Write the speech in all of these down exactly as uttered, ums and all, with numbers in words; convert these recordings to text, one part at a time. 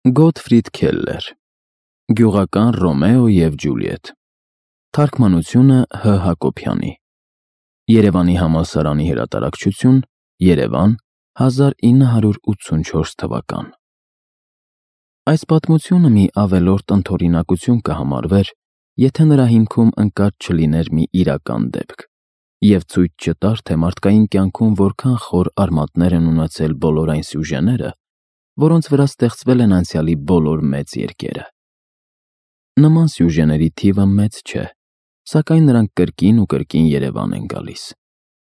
Գոթֆրիդ Քելլեր Գյուղական Ռոմեո և Ջուլիետ Թարգմանությունը Հ. Հակոբյանի Երևանի համալսարանի հրատարակչություն Երևան հազար ինը հարյուր ութսունչորս թվական Այս պատմությունը մի ավելորդ ընդօրինակություն կհամարվեր, եթե նրա հիմքում ընկած չլիներ մի իրական դեպք և ցույց չտար, թե մարդկային կյանքում որքան խոր արմատներ են ունեցել բոլոր այն սյուժեները, որոնց վրա ստեղծվել են անցյալի բոլոր մեծ երկերը։ Նման սյուժեների թիվը մեծ չէ, սակայն նրանք կրկին ու կրկին Երևան են գալիս,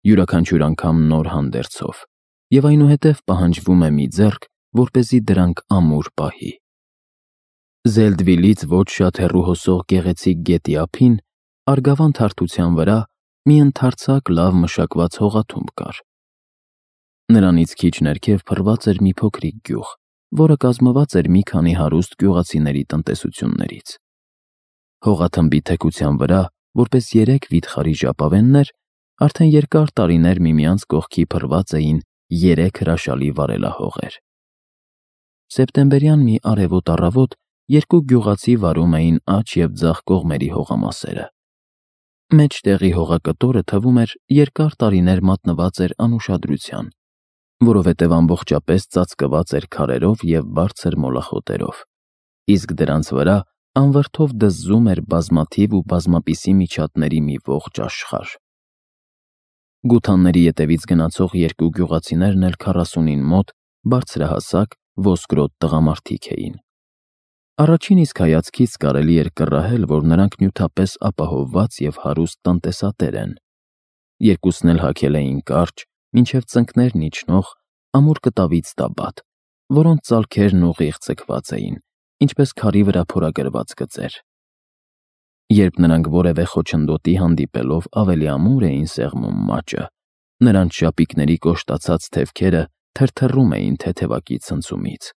յուրաքանչյուր անգամ նոր հանդերձով, և այնուհետև պահանջվում է մի ձեռք, որպեսզի դրանք ամուր պահի։ Զելդվիլից ոչ շատ հեռու հոսող գեղեցիկ գետի ափին, Արգավանդ հարթության վրա, մի ընդարձակ լավ մշակված հողաթումբ կար։ Նրանից քիչ ներքև փռված էր մի փոքրիկ գյուղ, որը կազմված էր մի քանի հարուստ գյուղացիների տնտեսություններից։ Հողաթմբի թեքության վրա, որպես երեք վիթխարի ժապավեններ, արդեն երկար տարիներ միմյանց կողքի փռված էին երեք հրաշալի վարելահողեր։ Սեպտեմբերյան մի արևոտ առավոտ երկու գյուղացի վարում էին աջ և ձախ կողմերի հողամասերը։ Մեջտեղի հողակտորը, թվում էր, երկար տարիներ մատնված էր անուշադրության, որովհետև ամբողջապես ծածկված էր քարերով և բարձր մոլախոտերով, իսկ դրանց վրա անվրդով դզզում էր բազմաթիվ ու բազմապիսի միջատների մի ողջ աշխարհ։ Գութանների ետևից գնացող երկու գյուղացիներն էլ քառասունին մոտ բարձրահասակ, ոսկրոտ տղամարդիկ էին։ Առաջին իսկ հայացքից կարելի էր կռահել, որ նրանք նյութապես ապահովված և հարուստ տնտեսատեր են։ Երկուսն էլ հագել էին կարճ, մինչև ծնկներն իջնող, ամուր կտավից տաբատ, որոնց ծալքերն ուղիղ ձգված էին, ինչպես քարի վրա փորագրված գծեր։ Երբ նրանք որևէ խոչընդոտի հանդիպելով ավելի ամուր էին սեղմում մաճը, նրանց շապիկների կոշտացած թևքերը թրթռում էին թեթևակի ցնցումից։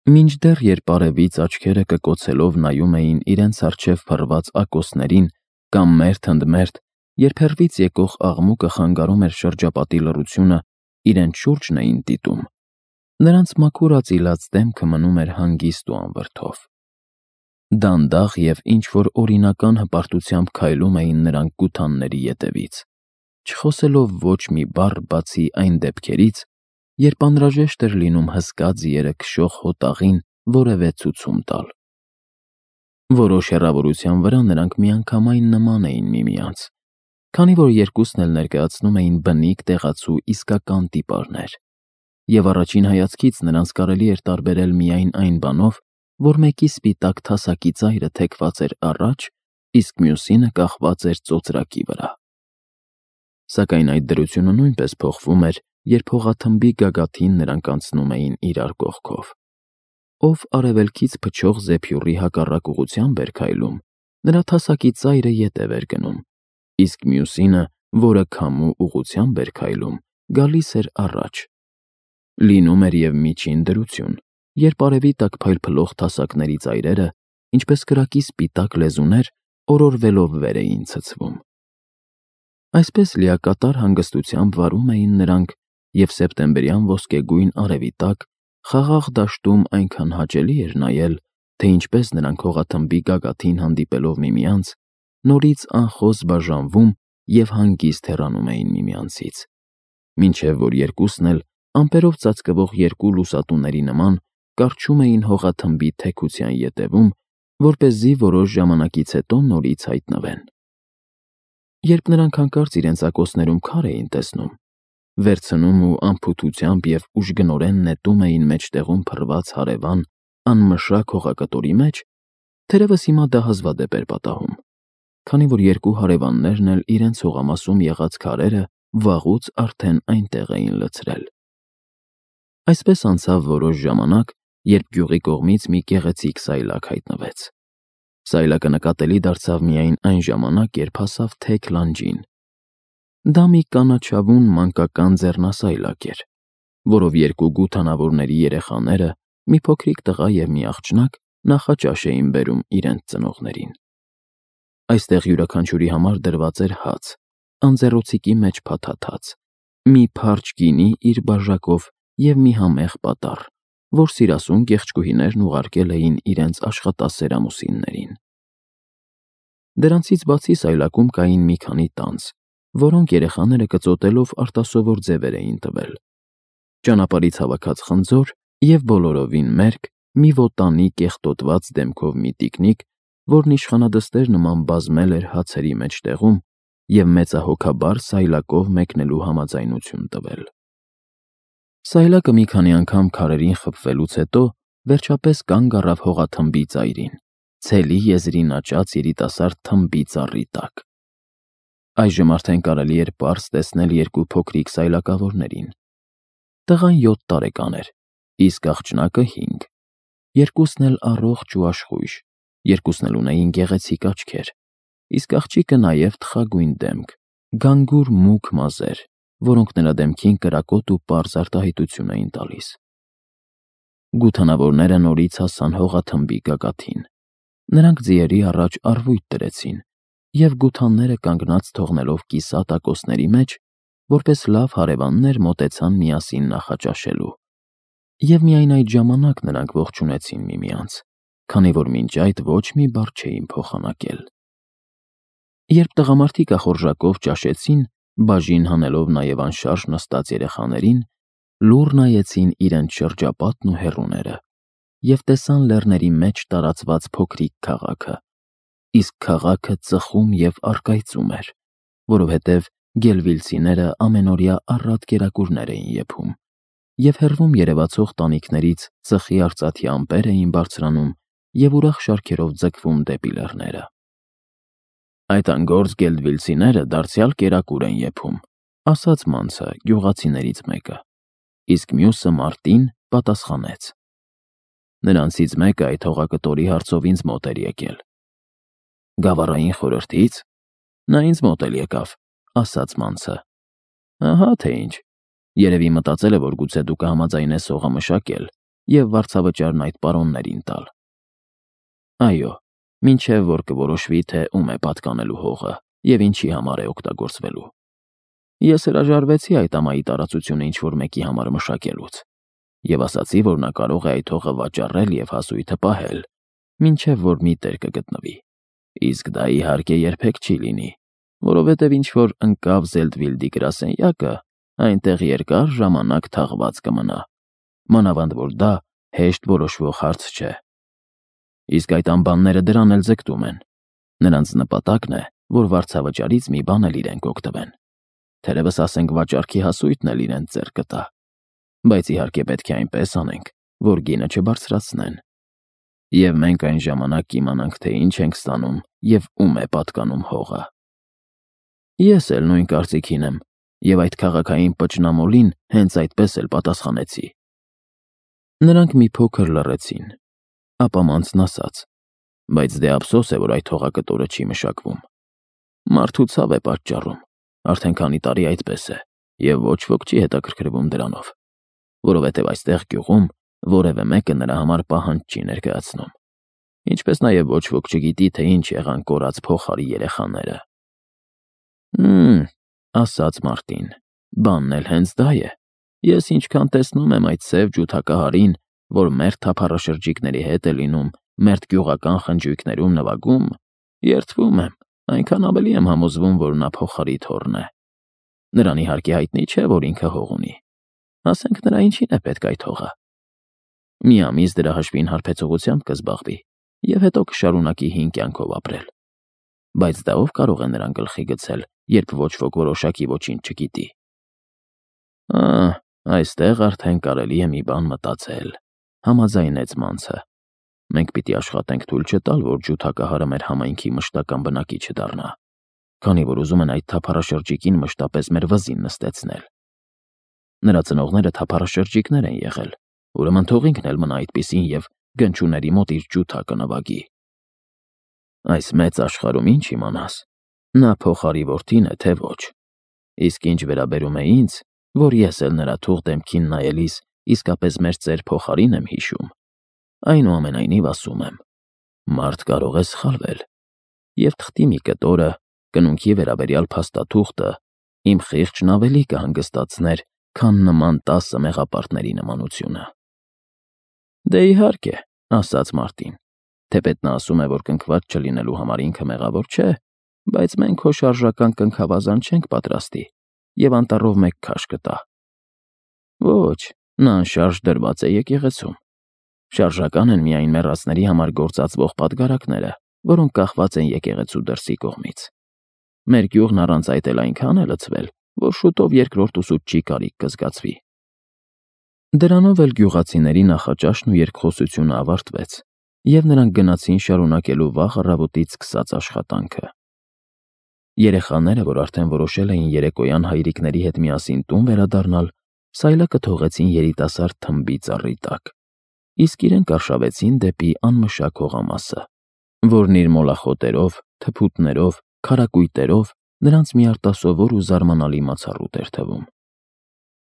Մինչդեռ երբ արևից աչքերը կկոցելով նայում էին իրենց առջև փռված ակոսներին կամ մերթ ընդ մերթ, երբ հեռվից եկող աղմուկը խանգարում էր շրջապատի լռությունը, իրենց շուրջն էին դիտում, նրանց մաքուր ածիլած դեմքը մնում էր հանգիստ ու անվրդով։ Դանդաղ և ինչ-որ օրինական հպարտությամբ քայլում էին նրանք գութանների ետևից, չխոսելով ոչ մի բառ բացի այն դեպքերից, երբ անհրաժեշտ էր լինում հսկա ձիերը քշող հոտաղին որևէ ցուցում տալ։ Որոշ հեռավորության վրա նրանք միանգամայն նման էին միմյանց, քանի որ երկուսն էլ ներկայացնում էին բնիկ տեղացու իսկական տիպարներ, և առաջին հայացքից նրանց կարելի էր տարբերել միայն այն բանով, որ մեկի սպիտակ թասակի ծայրը թեքված էր առաջ, իսկ մյուսինը կախված էր ծոծրակի վրա։ Սակայն այդ դրությունը նույնպես փոխվում էր, երբ հողաթմբի գագաթին նրանք անցնում էին իրար կողքով։ Ով արևելքից փչող զեփյուռի հակառակ ուղղությամբ էր քայլում, նրա թասակի ծայրը ետև էր գնում, իսկ մյուսինը, որը քամու ուղղությամբ էր քայլում, գալիս էր առաջ։ Լինում էր և միջին դրություն, երբ արևի տակ փայլփլող թասակների ծայրերը, ինչպես կրակի սպիտակ լեզուներ, օրորվելով վեր էին ցցվում։ Այսպես լիակատար հանգստությամբ վարում էին նրանք, և սեպտեմբերյան ոսկեգույն արևի տակ խաղաղ դաշտում այնքան հաճելի էր նայել, թե ինչպես նրանք հողաթմբի գագաթին հանդիպելով միմյանց, նորից անխոս բաժանվում և հանգիստ հեռանում էին միմյանցից, մինչև որ երկուսն էլ ամպերով ծածկվող երկու լուսատուների նման կառչում էին հողաթմբի թեքության ետևում, որպեսզի որոշ ժամանակից հետո նորից հայտնվեն։ Երբ նրանք հանկարծ իրենց ակոսներում քար էին տեսնում, վերցնում ու անփութությամբ և ուժգնորեն նետում էին մեջտեղում փռված հարևան, անմշակ հողակտորի մեջ, թերևս հիմա դա հազվադեպ էր պատահում, քանի որ երկու հարևաններն էլ իրենց հողամասում եղած քարերը վաղուց արդեն այնտեղ էին լցրել։ Այսպես անցավ որոշ ժամանակ, երբ գյուղի կողմից մի գեղեցիկ սայլակ հայտնվեց։ Սայլակը նկատելի դարձավ միայն այն ժամանակ, երբ հասավ թեք լանջին։ Դա մի կանաչավուն մանկական ձեռնասայլակ էր, որով երկու գութանավորների երեխաները, մի փոքրիկ տղա և մի աղջնակ, նախաճաշ էին բերում իրենց ծնողներին։ Այստեղ յուրաքանչյուրի համար դրված էր հաց, անձեռոցիկի մեջ փաթաթած, մի փարչ գինի իր բաժակով և մի համեղ պատառ, որ սիրասուն գեղեցկուհիներն ուղարկել էին իրենց աշխատասեր ամուսիններին։ Դրանցից բացի սայլակում կային մի քանի տանձ, որոնք երեխաները կծոտելով արտասովոր ձևեր էին տվել։ Ճանապարհից հավաքած խնձոր և բոլորովին մերկ մի վոտանի կեղտոտված դեմքով մի տիկնիկ, որն իշխանադստեր նման բազմել էր հացերի մեջտեղում և մեծահոգաբար սայլակով մեկնելու համաձայնություն տվել։ Սայլակը մի քանի անգամ քարերին խփվելուց հետո վերջապես կանգ առավ հողաթմբի ծայրին, ցելի եզրին աճած երիտասարդ թմբի ծառի տակ։ Այժմ արդեն կարելի էր պարզ տեսնել երկու փոքրիկ սայլակավորներին։ Տղան յոթ տարեկան էր, իսկ աղջնակը հինգ։ Երկուսն էլ առողջ ու աշխույժ, երկուսն էլ ունեին գեղեցիկ աչքեր, իսկ աղջիկը նաև թխագույն դեմք, գանգուր մուգ մազեր, որոնք նրա դեմքին կրակոտ ու պարզ արտահայտություն էին տալիս։ Գութանավորները նորից հասան հողաթմբի գագաթին։ Նրանք ձիերի առաջ առվույթ դրեցին և գութանները կանգնած թողնելով կիսա-տակոսների մեջ, որպես լավ հարևաններ մոտեցան միասին նախաճաշելու։ Եվ միայն այդ ժամանակ նրանք ողջունեցին միմյանց, քանի որ մինչ այդ ոչ մի բառ չէին փոխանակել։ Երբ տղամարդիկ ախորժակով ճաշեցին, բաժին հանելով նաև անշարժ նստած երեխաներին, լուռ նայեցին իրենց շրջապատն ու հեռուները և տեսան լեռների մեջ տարածված փոքրիկ քաղաքը, իսկ քաղաքը ծխում և առկայծում էր, որովհետև գելվիլցիները ամենօրյա առատ կերակուրներ էին եփում, և հեռվում երևացող տանիքներից ծխի արծաթի ամպեր էին բարձրանում և ուրախ շարքերով ձգվում դեպի լեռները։ «Այդ անգործ գելդվիլցիները դարձյալ կերակուր են եփում», ասաց մանցը գյուղացիներից մեկը, իսկ մյուսը Մարտին պատասխանեց. «Նրանցից մեկը այդ հողակտորի հարցով ինձ մոտ էր եկել»։ «Գավառային խորհրդի՞ց»։ «Նա ինձ մոտ էլ եկավ», ասաց մանցը։ «Ահա թե ինչ, երևի մտածել է, որ գուցե դու կհամաձայնես հողը մշակել և վարձավճարն այդ պարոններին տալ»։ «Այո, մինչև որ կորոշվի, թե ում է պատկանելու հողը և ինչի համար է օգտագործվելու։ Ես հրաժարվեցի այդ ամայի տարածությունը ինչ-որ մեկի համար մշակելուց և ասացի, որ նա կարող է այդ հողը վաճառել և հասույթը պահել, մինչև որ մի տեր կգտնվի, իսկ դա իհարկե երբեք չի լինի, որովհետև ինչ-որ ընկավ Զելդվիլդի գրասենյակը, այնտեղ երկար ժամանակ թաղված կմնա, մանավանդ որ դա հեշտ որոշվող հարց չէ։ Իսկ այդ անբանները դրան էլ ձգտում են։ Նրանց նպատակն է, որ վարձավճարից մի բան էլ իրենք օգտվեն։ Թերևս ասենք վաճառքի հասույթն էլ իրենց ձեռքը տա, բայց իհարկե պետք է այնպես անենք, որ գինը չբարձրացնեն։ Եվ մենք այն ժամանակ կիմանանք, թե ինչ ենք ստանում և ում է պատկանում հողը։ Ես էլ նույն կարծիքին եմ և այդ քաղաքային պճնամոլին հենց այդպես էլ պատասխանեցի։ Նրանք մի փոքր լռեցին, ապա մանցն ասաց. «Բայց դե ափսոս է, որ այդ հողակտորը չի մշակվում։ Մարդու ցավ է պատճառում, արդեն քանի տարի այդպես է, և ոչ ոք չի հետաքրքրվում դրանով, որովհետև այստեղ գյուղում որևէ մեկը նրա համար պահանջ չի ներկայացնում, ինչպես նաև ոչ ոք չգիտի, թե ինչ եղան կորած փողարի երեխաները»։ «Հ'մ», ասաց Մարտին, «բանն էլ հենց դա է։ Ես ինչքան տեսնում եմ այդ սև ջութակահարին, որ մերթ թափառաշրջիկների հետ է լինում, մերթ գյուղական խնջույքներում նվագում, երդվում եմ, այնքան ավելի եմ համոզվում, որ նա փողարի թոռն է։ Նրան իհարկե հայտնի չէ, որ ինքը հող ունի։ Ասենք նրա ինչին է պետք այդ հողը։ Մի ամիս դրա հաշվին հարբեցողությամբ կզբաղվի և հետո կշարունակի հին կյանքով ապրել։ Բայց դա ով կարող է նրան գլխի գցել, երբ ոչ ոք որոշակի ոչինչ չգիտի։ Ահ, այստեղ արդեն կարելի է մի բան մտածել, համաձայնեց մանցը։ Մենք պիտի աշխատենք թույլ չտալ, որ ջութակահարը մեր համայնքի մշտական բնակիչը դառնա, քանի որ ուզում են այդ թափառաշրջիկին մշտապես մեր վզին նստեցնել։ Նրա ծնողները թափառաշրջիկներ են եղել, ուրեմն թող ինքն էլ մնա այդպիսին և գնչուների մոտ իր ջութակը նվագի։ Այս մեծ աշխարհում ինչ իմանաս, նա փողարի որդին է, թե ոչ։ Իսկ ինչ վերաբերում է ինձ, որ ես էլ նրա թուղ դեմքին նայելիս իսկապես մեր ծեր փողարին եմ հիշում, այնուամենայնիվ ասում եմ. մարդ կարող է սխալվել, և թղթի մի կտորը, կնունքի վերաբերյալ փաստաթուղթը իմ խիղճն ավելի կհանգստացներ, քան նման տասը մեղապարտների նմանությունը։ Դե իհարկե, ասաց Մարտին, թեպետ նա ասում է, որ կնքված չլինելու համար ինքը մեղավոր չէ, բայց մենք քո շարժական կնքավազան չենք պատրաստի և անտառով մեկ քաշ կտա։ Ոչ, նա անշարժ դրված է եկեղեցում։ Շարժական են միայն մեռածների համար գործածվող պատգարակները, որոնք կախված են եկեղեցու դրսի կողմից։ Մեր գյուղն առանց այդ էլ այնքան է լցվել, որ շուտով երկրորդ ուսուցչի կարիք կզգացվի։ Դրանով էլ գյուղացիների նախաճաշն ու երկխոսությունը ավարտվեց, և նրանք գնացին շարունակելու վաղ առավոտից սկսած աշխատանքը։ Երեխաները, որ արդեն որոշել էին երեկոյան հայրիկների հետ միասին տուն վերադառնալ, սայլակը թողեցին երիտասարդ թմբի ծառի տակ, իսկ իրենք արշավեցին դեպի անմշակ հողամասը, որն իր մոլախոտերով, թփուտներով, քարակույտերով նրանց մի արտասովոր ու զարմանալի մացառուտ էր թվում։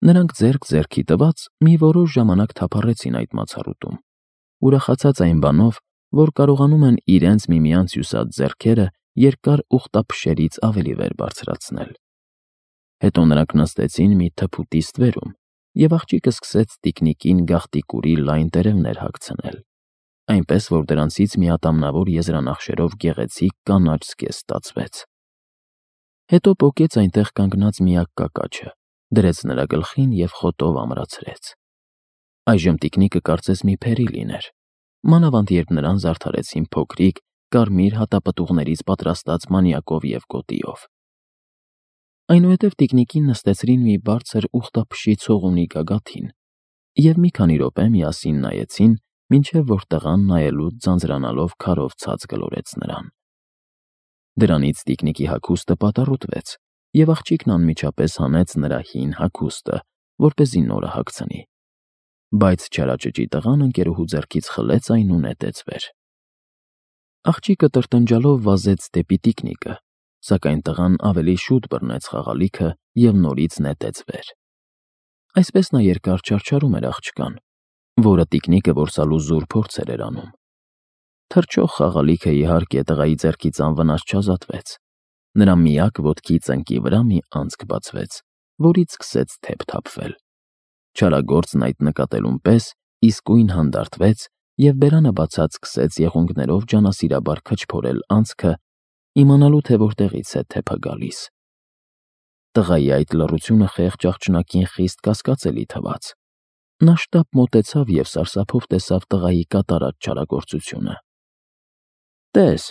Նրանք ձեռք ձեռքի տված մի որոշ ժամանակ թափառեցին այդ մացառուտում, ուրախացած այն բանով, որ կարողանում են իրենց միմյանց հյուսած ձեռքերը երկար ուխտափշերից ավելի վեր բարձրացնել։ Հետո նրանք նստեցին մի թփուտի ստվերում, և աղջիկը սկսեց տիկնիկին գաղտիկուրի լայն տերևներ հագցնել, այնպես որ դրանցից մի ատամնավոր եզրանախշերով գեղեցիկ կանաչ զգեստ ստացվեց։ Հետո պոկեց այնտեղ կանգնած միակ կակաչը, դրեց նրա գլխին և խոտով ամրացրեց։ Այժմ տիկնիկը կարծես մի փերի լիներ, մանավանդ երբ նրան զարդարեցին փոքրիկ, կարմիր հատապտուղներից պատրաստած մանյակով և գոտիով։ Այնուհետև տիկնիկին նստեցրին մի բարձր ուխտափշի ցողունի գագաթին և մի քանի րոպե միասին նայեցին, մինչև որ տղան նայելուց ձանձրանալով քարով ցած գլորեց նրան։ Դրանից տիկնիկի հագուստը պատառոտվեց, և աղջիկն անմիջապես հանեց նրա հին հագուստը, որպեսզի նորը հագցնի։ Բայց չարաճճի տղան ընկերուհու ձեռքից խլեց այն ու նետեց վեր։ Աղջիկը տրտնջալով վազեց դեպի տիկնիկը, սակայն տղան ավելի շուտ բռնեց խաղալիքը և նորից նետեց վեր։ Այսպես նա երկար չարչարում էր աղջկան, որը տիկնիկը որսալու զուր փորձեր էր անում։ Թռչող խաղալիքը, իհարկե, տղայի ձեռքից անվնաս չազատվեց։ Նրա միակ ոտքի ծնկի վրա մի անցք բացվեց, որից սկսեց թեփ թափվել։ Չարագործն այդ նկատելուն պես իսկույն հանդարտվեց և բերանը բացած սկսեց եղունգներով ջանասիրաբար քչփորել անցքը, իմանալու թե որտեղից է թեփը գալիս։ Տղայի այդ լռությունը խեղճ աղջնակին խիստ կասկածելի թվաց։ Նա շտապ մոտեցավ և սարսափով տեսավ տղայի կատարած չարագործությունը։ «Տես»,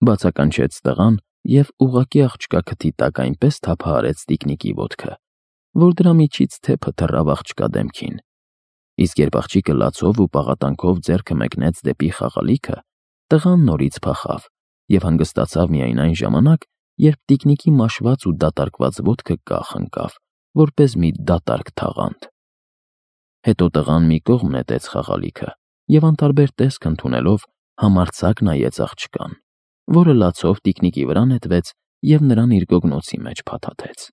բացականչեց տղան և ուղղակի աղջկա քթի տակ այնպես թափահարեց տիկնիկի ոտքը, որ դրա միջից թեփը թռավ աղջկա դեմքին։ Իսկ երբ աղջիկը լացով ու պաղատանքով ձեռքը մեկնեց դեպի խաղալիքը, տղան նորից փախավ և հանգստացավ միայն այն ժամանակ, երբ տիկնիկի մաշված ու դատարկված ոտքը կախ ընկավ, որպես մի դատարկ թաղանթ։ Հետո տղան մի կողմ նետեց խաղալիքը և անտարբեր տեսք ընդունելով համարձակ նայեց աղջկան, որը լացով տիկնիկի վրա նետվեց և նրան իր գոգնոցի մեջ փաթաթեց։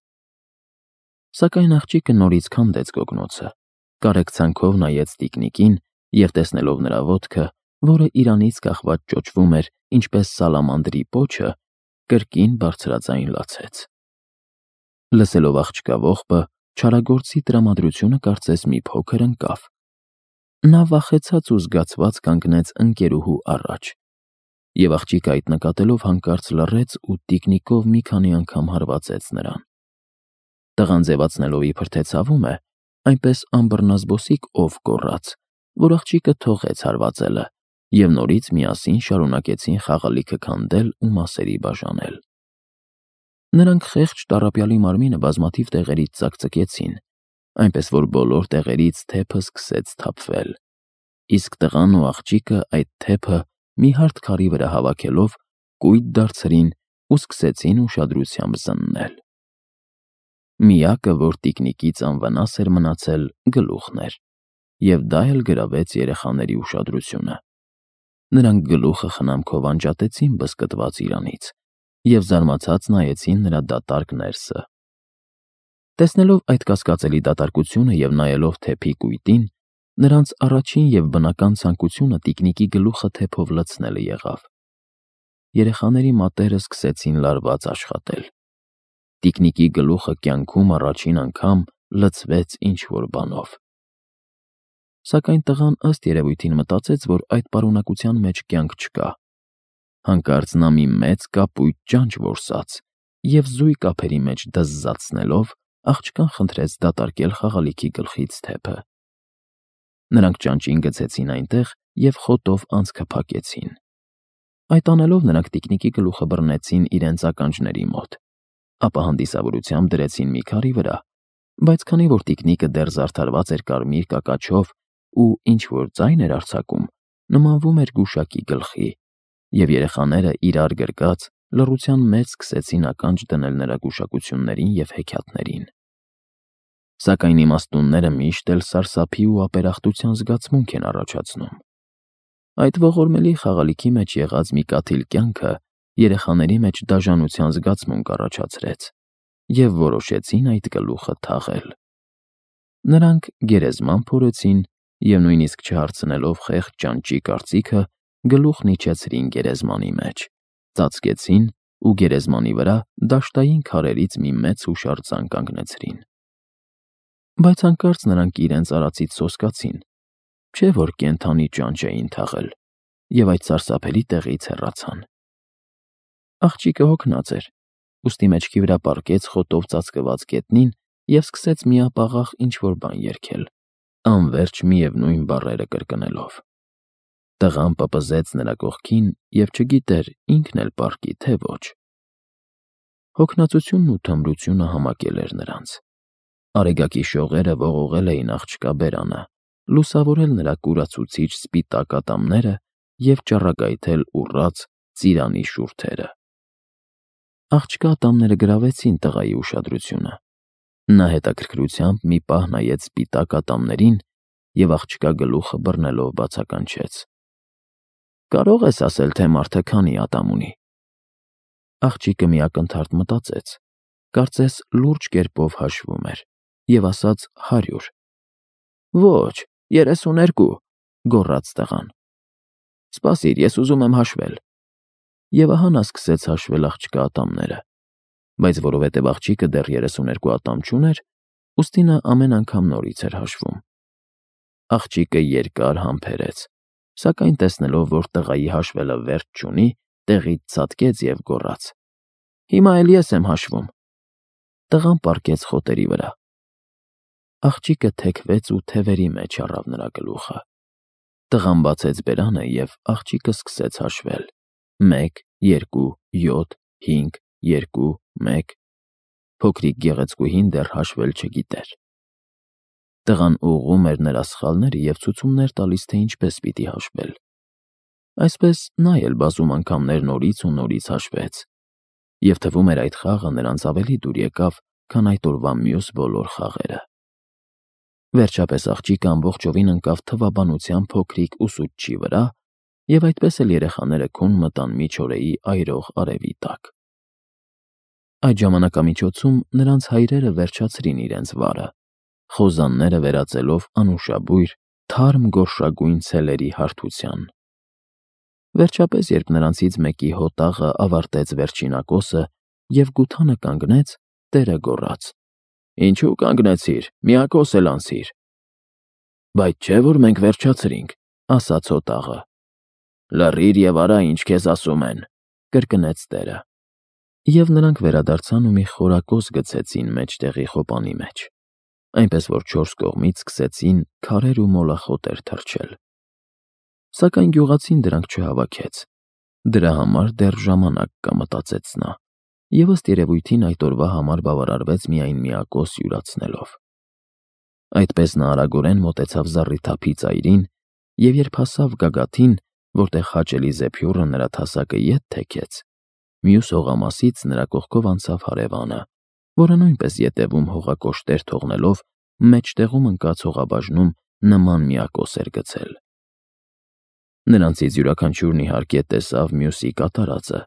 Սակայն աղջիկը նորից քանդեց գոգնոցը, կարեկցանքով նայեց տիկնիկին և տեսնելով նրա ոտքը, որը իրանից կախված ճոճվում էր, ինչպես սալամանդրի պոչը, կրկին բարձրաձայն լացեց։ Լսելով աղջկա ողբը, չարագործի տրամադրությունը կարծես մի փոքր ընկավ։ Նա վախեցած ու զգացված կանգնեց ընկերուհու առաջ, և աղջիկը այդ նկատելով հանկարծ լռեց ու տիկնիկով մի քանի անգամ հարվածեց նրան։ Տղան ձևացնելով իբր թե ցավում է, այնպես անբռնազբոսիկ ով գոռաց, որ աղջիկը թողեց հարվածելը, և նորից միասին շարունակեցին խաղալիքը քանդել ու մասերի բաժանել։ Նրանք խեղճ տառապյալի մարմինը բազմաթիվ տեղերից ծակծկեցին, այնպես որ բոլոր տեղերից թեփը սկսեց թափվել, իսկ տղան ու աղջիկը այդ թեփը մի հարթ քարի վրա հավաքելով կույտ դարձրին ու սկսեցին ուշադրությամբ զննել։ Միակը, որ տիկնիկից անվնաս էր մնացել, գլուխն էր, և դա էլ գրավեց երեխաների ուշադրությունը։ Նրանք գլուխը խնամքով անջատեցին բզկտված իրանից և զարմացած նայեցին նրա դատարկ ներսը։ Տեսնելով այդ կասկածելի դատարկությունը և նայելով թեփի կույտին, նրանց առաջին և բնական ցանկությունը տիկնիկի գլուխը թեփով լցնելը եղավ։ Երեխաների մատները սկսեցին լարված աշխատել։ Տիկնիկի գլուխը կյանքում առաջին անգամ լցվեց ինչ-որ բանով։ Սակայն տղան ըստ երևույթին մտածեց, որ այդ պարունակության մեջ կյանք չկա։ Հանկարծ նա մի մեծ կապույտ ճանճ որսաց և զույգ ափերի մեջ դզզացնելով աղջկան խնդրեց դատարկել խաղալիքի գլխից թեփը։ Նրանք ճանճին գցեցին այնտեղ և խոտով անցքը փակեցին։ Այդ անելով նրանք տիկնիկի գլուխը բռնեցին իրենց ականջների մոտ, ապա հանդիսավորությամբ դրեցին մի քարի վրա, բայց քանի որ տիկնիկը դեռ զարդարված էր կարմիր կակաչով ու ինչ-որ ձայն էր արձակում, նմանվում էր գուշակի գլխի, և երեխաները իրար գրկած լռության մեջ սկսեցին ականջ դնել նրա գուշակություններին և հեքիաթներին։ Սակայն իմաստունները միշտ էլ սարսափի ու ապերախտության զգացմունք են առաջացնում։ Այդ ողորմելի խաղալիքի մեջ եղած մի կաթիլ կյանքը երեխաների մեջ դաժանության զգացմունք առաջացրեց և որոշեցին այդ գլուխը թաղել։ Նրանք գերեզման փորեցին և նույնիսկ չհարցնելով խեղճ ճանճի կարծիքը, գլուխն իջեցրին գերեզմանի մեջ, ծածկեցին ու գերեզմանի վրա դաշտային քարերից մի մեծ հուշարձան կանգնեցրին։ Բայց հանկարծ նրանք իրենց արածից սոսկացին, չէ՞ որ կենդանի ճանճ էին թաղել, և այդ սարսափելի տեղից հեռացան։ Աղջիկը հոգնած էր, ուստի մեջքի վրա պառկեց խոտով ծածկված գետնին և սկսեց միապաղաղ ինչ-որ բան երգել, անվերջ միևնույն բառերը կրկնելով։ Տղան պպզեց նրա կողքին և չգիտեր ինքն էլ պառկի, թե ոչ։ Հոգնածությունն ու թմրությունը համակել էր նրանց։ Արեգակի շողերը ողողել էին աղջկա բերանը, լուսավորել նրա կուրացուցիչ սպիտակ ատամները և ճառագայթել ուռած ծիրանի շուրթերը։ Աղջկա ատամները գրավեցին տղայի ուշադրությունը։ Նա հետաքրքրությամբ մի պահ նայեց սպիտակ ատամներին և աղջկա գլուխը բռնելով բացականչեց. «Կարո՞ղ ես ասել, թե մարդը քանի ատամ ունի»։ Աղջիկը մի ակնթարթ մտածեց, կարծես լուրջ կերպով հաշվում էր, և ասաց հարյուր։ «Ոչ, երեսուներկու», գոռաց տղան։ «Սպասիր, ես ուզում եմ հաշվել»։ Եվ ահա նա սկսեց հաշվել աղջկա ատամները, բայց որովհետև աղջիկը դեռ երեսուներկու ատամ չուներ, ուստի նա ամեն անգամ նորից էր հաշվում։ Աղջիկը երկար համբերեց, սակայն տեսնելով, որ տղայի հաշվելը վերջ չունի, տեղից ցատկեց և գոռաց. «Հիմա էլ ես եմ հաշվում»։ Տղան պառկեց խոտերի վրա։ Աղջիկը թեքվեց ու թևերի մեջ առավ նրա գլուխը։ Տղան բացեց բերանը, և աղջիկը սկսեց հաշվել. մեկ, երկու, յոթ, հինգ, երկու, մեկ։ Փոքրիկ գեղեցկուհին դեռ հաշվել չգիտեր։ Տղան ուղղում էր նրա սխալները և ցուցումներ տալիս, թե ինչպես պիտի հաշվել։ Այսպես նա էլ բազում անգամներ նորից ու նորից հաշվեց, և թվում էր այդ խաղը նրանց ավելի դուր եկավ, քան այդ օրվա մյուս բոլոր խաղերը։ Վերջապես աղջիկը ամբողջովին ընկավ թվաբանության փոքրիկ ուսուցչի վրա, և այդպես էլ երեխաները քուն մտան միջօրեի այրող արևի տակ։ Այդ ժամանակամիջոցում նրանց հայրերը վերջացրին իրենց վարը, խոզանները վերածելով անուշաբույր, թարմ գորշագույն ցելերի հարթության։ Վերջապես, երբ նրանցից մեկի հոտաղը ավարտեց վերջին ակոսը և գութանը կանգնեց, տերը գոռաց. «Ինչու կանգնեցիր, մի ակոս էլ անցիր»։ «Բայց չէ՞ որ մենք վերջացրինք», ասաց հոտաղը։ «Լռիր և արա, ինչ քեզ ասում են», կրկնեց տերը։ Եվ նրանք վերադարձան ու մի խորակոս գցեցին մեջտեղի խոպանի մեջ, այնպես որ չորս կողմից սկսեցին քարեր ու մոլախոտեր թռչել։ Սակայն գյուղացին դրանք չհավաքեց։ Դրա համար դեռ ժամանակ կա, մտածեց նա, և ըստ երևույթին այդ օրվա համար բավարարվեց միայն մի ակոս յուրացնելով։ Այդպես նա արագորեն մոտեցավ զառիթափի ծայրին, և երբ հասավ գագաթին, որտեղ հաճելի զեփյուռը նրա թասակը ետ թեքեց, մյուս հողամասից նրա կողքով անցավ հարևանը, որը նույնպես ետևում հողակոշտեր թողնելով մեջտեղում ընկած հողաբաժնում նման մի ակոս էր գցել։ Նրանցից յուրաքանչյուրն իհարկե տեսավ մյուսի կատարածը,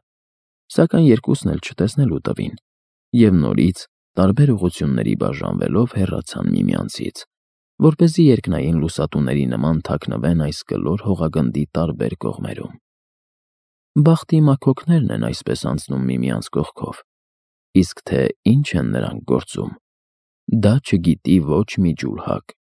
սակայն երկուսն էլ չտեսնելու տվին, և նորից տարբեր ուղղությունների բաժանվելով հեռացան միմյանցից, որպեսզի երկնային լուսատուների նման թաքնվեն այս կլոր հողագնդի տարբեր կողմերում։ Բախտի մաքոքներն են այսպես անցնում միմյանց կողքով, իսկ թե ինչ են նրանք գործում, դա չգիտի ոչ մի ջուլհակ